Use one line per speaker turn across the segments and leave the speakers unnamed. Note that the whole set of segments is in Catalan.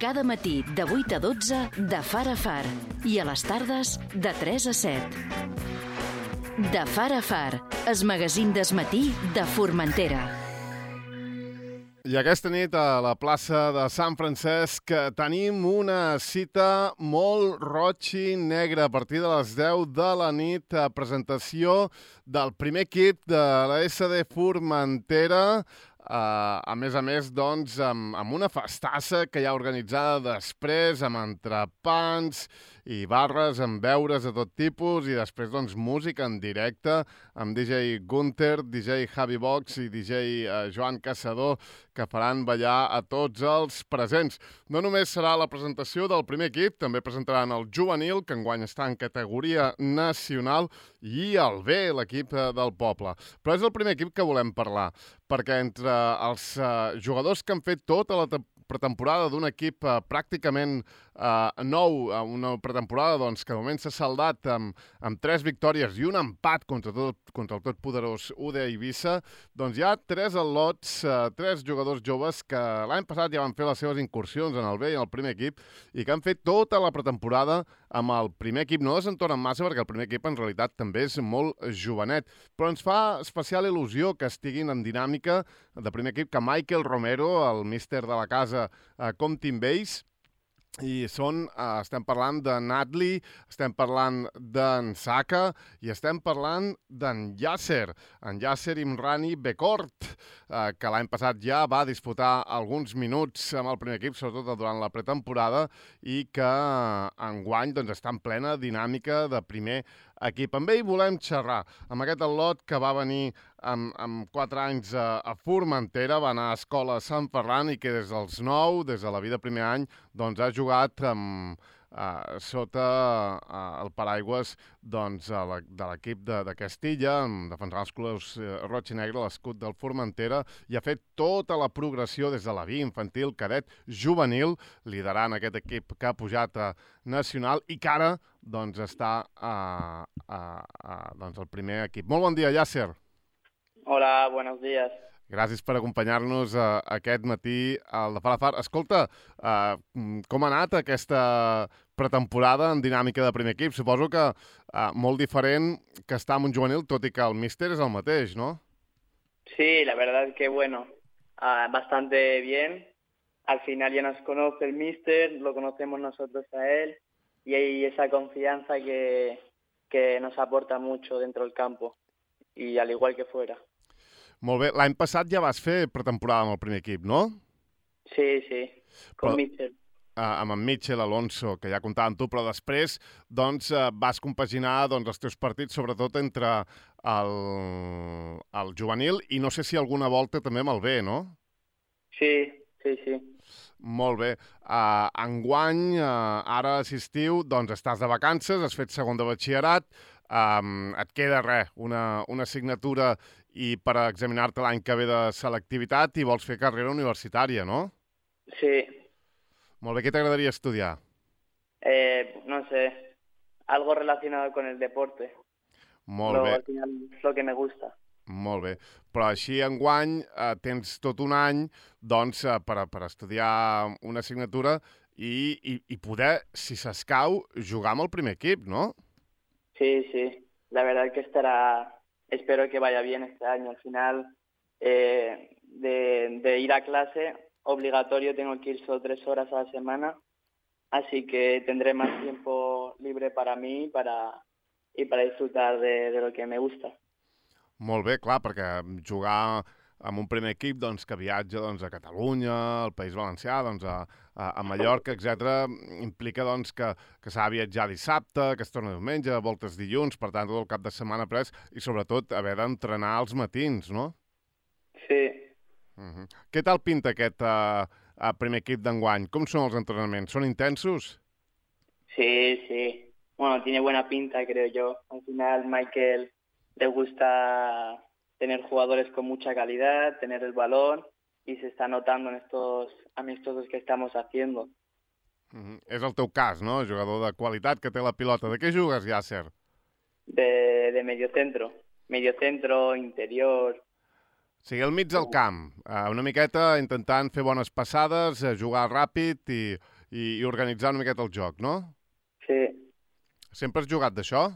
Cada matí de 8 a 12 de Far a Far i a les tardes de 3 a 7. De Far a Far, el magazín d'esmatí de Formentera.
I aquesta nit a la plaça de Sant Francesc tenim una cita molt roig i negra. A partir de les 10 de la nit, presentació del primer equip de la SD Formentera. A més, doncs, amb una festassa que hi ha organitzada després, amb entrepans i barres, amb beures de tot tipus, i després, doncs, música en directe, amb DJ Gunter, DJ Javi Box i DJ Joan Caçador, que faran ballar a tots els presents. No només serà la presentació del primer equip, també presentaran el juvenil, que enguany està en categoria nacional, i el B, l'equip del poble. Però és el primer equip que volem parlar, perquè entre els jugadors que han fet tota la pretemporada d'un equip pràcticament nou, una pretemporada doncs, que de moment s'ha saldat amb 3 victòries i un empat contra el totpoderós UD Eivissa, doncs hi ha 3 al·lots, 3 jugadors joves que l'any passat ja van fer les seves incursions en el B i en el primer equip i que han fet tota la pretemporada amb el primer equip. No desentonen massa perquè el primer equip en realitat també és molt jovenet, però ens fa especial il·lusió que estiguin en dinàmica de primer equip, que Michael Romero, el míster de la casa, compti amb ells. I estem parlant de Nadli, estem parlant d'en Saka i estem parlant d'en Yasser Imrani Bekort, que l'any passat ja va disputar alguns minuts amb el primer equip, sobretot durant la pretemporada, i que enguany doncs, està en plena dinàmica de primer equip. Amb ell volem xerrar, amb aquest al·lot que va venir amb 4 anys a Formentera, va anar a escola a Sant Ferran i que des dels 9, des de la vida primer any, doncs ha jugat sota el paraigües doncs, de l'equip de Castilla, defensant els colors roig i negre, l'escut del Formentera, i ha fet tota la progressió des de la B, infantil, cadet, juvenil, liderant aquest equip que ha pujat a nacional i que ara doncs, està doncs, al primer equip. Molt bon dia, Yasser.
Hola, buenos días.
Gràcies per acompanyar-nos aquest matí al de Far a Far. Escolta, com ha anat aquesta pretemporada en dinàmica de primer equip? Suposo que molt diferent que estar en un juvenil, tot i que el míster és el mateix, ¿no?
Sí, la verdad que bueno, bastante bien. Al final ya nos conoce el míster, lo conocemos nosotros a él, y hay esa confianza que nos aporta mucho dentro del campo, y al igual que fuera.
Molt bé. L'any passat ja vas fer pretemporada amb el primer equip, no?
Sí, con Mitchell.
Amb en Mitchell Alonso, que ja comptava amb tu, però després doncs, vas compaginar doncs, els teus partits, sobretot entre el juvenil i no sé si alguna volta també amb el B, no?
Sí.
Molt bé. Enguany, ara a l'estiu, doncs estàs de vacances, has fet segon de batxillerat, et queda una assignatura i per examinar-te l'any que ve de selectivitat i vols fer carrera universitària, no?
Sí.
Molt bé, què t'agradaria estudiar?
No sé, algo relacionado con el deporte.
Molt bé.
Al final es lo que me gusta.
Molt bé. Però així enguany tens tot un any doncs, per estudiar una assignatura i poder, si s'escau, jugar amb el primer equip, no?
Sí. La verdad que espero que vaya bien este año. Al final, de ir a clase, obligatorio tengo que ir solo 3 horas a la semana, así que tendré más tiempo libre para mí y para disfrutar de lo que me gusta.
Molt bé, clar, perquè jugar amb un primer equip doncs, que viatja doncs, a Catalunya, al País Valencià, doncs, a Mallorca, etc., implica doncs, que s'ha de viatjar dissabte, que es torna diumenge, voltes dilluns, per tant, tot el cap de setmana pres, i sobretot haver d'entrenar als matins, no?
Sí.
Què tal pinta aquest primer equip d'enguany? Com són els entrenaments? Són intensos?
Sí. Bueno, tiene buena pinta, creo yo. Al final, Michael le gusta tener jugadores con mucha calidad, tener el balón, y se está notando en estos amistosos que estamos haciendo.
És el teu cas, no? Jugador de qualitat que té la pilota. De què jugues, Yasser?
De mediocentro. Mediocentro, interior.
O sigui, al mig del camp, una miqueta intentant fer bones passades, jugar ràpid i organitzar una miqueta el joc, no?
Sí.
Sempre has jugat d'això?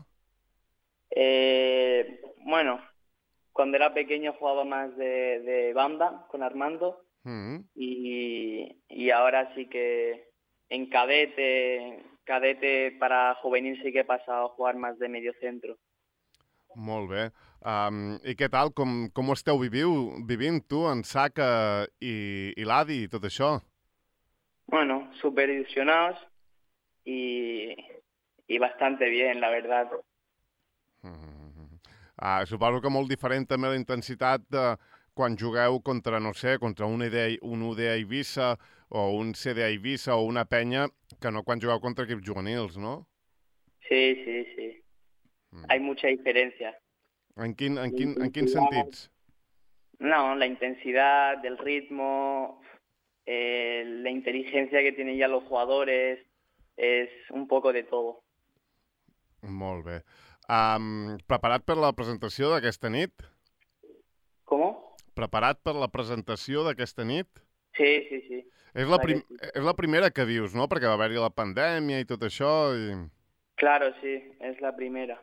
Bueno, cuando era pequeño jugaba más de banda con Armando y ahora sí que en cadete para juvenil sí que he pasado a jugar más de medio centro.
Molt bé. I què tal? Com ho esteu vivint tu, en Saka i l'Adi i tot això?
Bueno, súper ilusionados y bastante bien, la verdad.
Suposo que molt diferent també la intensitat de quan jugueu contra, no sé, contra un UD Eivissa o un CD Eivissa o una penya que no quan jugueu contra equips juvenils, no?
Sí. Hay mucha diferencia.
En quins sentits?
No, la intensidad, el ritmo, la inteligencia que tienen ya los jugadores, es un poco de todo.
Molt bé. Preparat per la presentació d'aquesta nit?
¿Cómo?
Preparat per la presentació d'aquesta nit?
Sí.
És la primera que vius, no? Perquè va haver-hi la pandèmia i tot això.
Claro, sí, és la primera.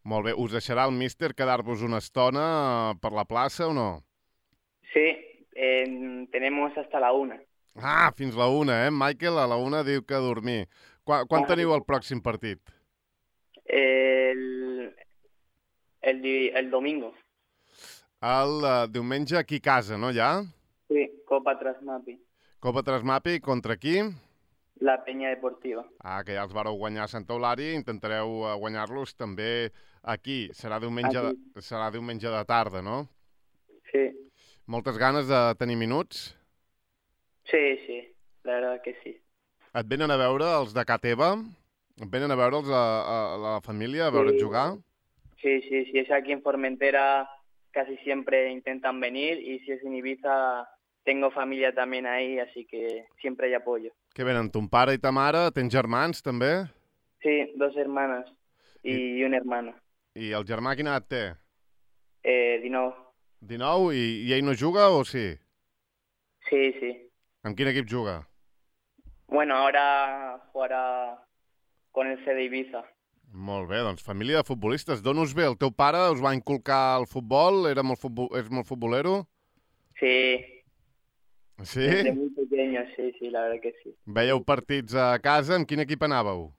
Molt bé. Us deixarà el míster quedar-vos una estona per la plaça o no?
Sí, tenemos hasta la 1.
Fins la 1, eh? Michael a la 1 diu que a dormir. Quan teniu el pròxim partit?
El domingo.
El diumenge aquí a casa, no, ja?
Sí, Copa Trasmapi.
Copa Trasmapi contra qui?
La Peña Deportiva.
Que ja els vareu guanyar a Santa Eulària, intentareu guanyar-los també aquí. Serà diumenge de tarda, no?
Sí.
Moltes ganes de tenir minuts?
Sí, la verdad que sí.
Et venen a veure els de ca teva? Et venen a veure'ls a la família, a veure't jugar?
Sí, si es aquí en Formentera casi siempre intentan venir y si es en Ibiza tengo familia también ahí, así que siempre hay apoyo.
Què venen, ton pare i ta mare? Tens germans, també?
Sí, 2 hermanas y un hermano.
I el germà quina edat té?
19.
19? I ell no juga o sí?
Sí.
Amb quin equip juga?
Bueno, ahora jugará con el CD Ibiza.
Molt bé, doncs família de futbolistes. D'on us ve? El teu pare us va inculcar el futbol? És molt futbolero?
Sí.
Sí?
Desde muy pequeño, sí, la verdad que sí.
Veieu partits a casa? Amb quin equip anàveu?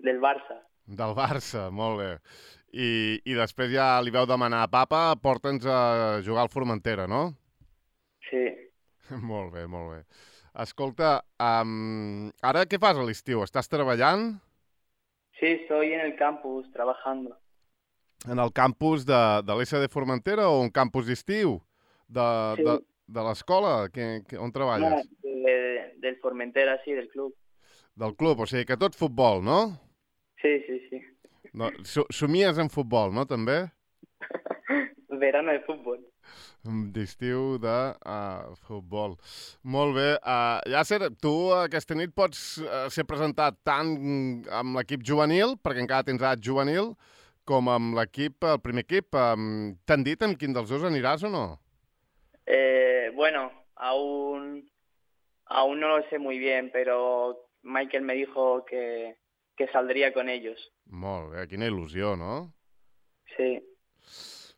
Del Barça.
Del Barça, molt bé. I després ja li vau demanar a papa, porta'ns a jugar al Formentera, no?
Sí.
Molt bé. Escolta, ara què fas a l'estiu? Estàs treballant?
Sí, estoy en el campus trabajando.
En el campus de l'SD Formentera o un campus d'estiu? De l'escola? On treballes?
No, del Formentera, sí, del club.
Del club, o sigui que tot futbol, no?
Sí.
No, somies en futbol, no, també?
Verano de fútbol.
D'estiu de futbol. Molt bé. Yasser, tu aquesta nit pots ser presentat tant amb l'equip juvenil, perquè encara tens edat juvenil, com amb l'equip, el primer equip. T'han dit amb quin dels dos aniràs o no?
Bueno, aún no lo sé muy bien, pero Michael me dijo que saldría con ellos.
Molt bé, quina il·lusió, no?
Sí.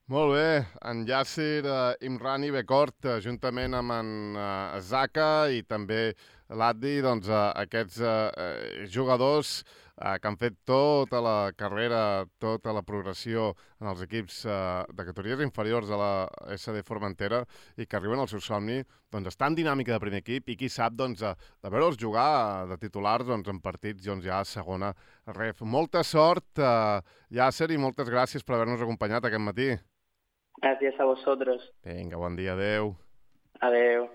Molt bé, en Yasser Imrani Becort, juntament amb en Zaka i també l'Addi, doncs aquests jugadors que han fet tota la carrera, tota la progressió en els equips de categories inferiors de la SD Formentera i que arriben al seu somni, doncs estan en dinàmica de primer equip i qui sap doncs, de veure'ls jugar de titulars doncs, en partits doncs, ja a segona ref. Molta sort, Yasser, i moltes gràcies per haver-nos acompanyat aquest matí.
Gracias a vosotros.
Vinga, bon dia, adeu.
Adeu.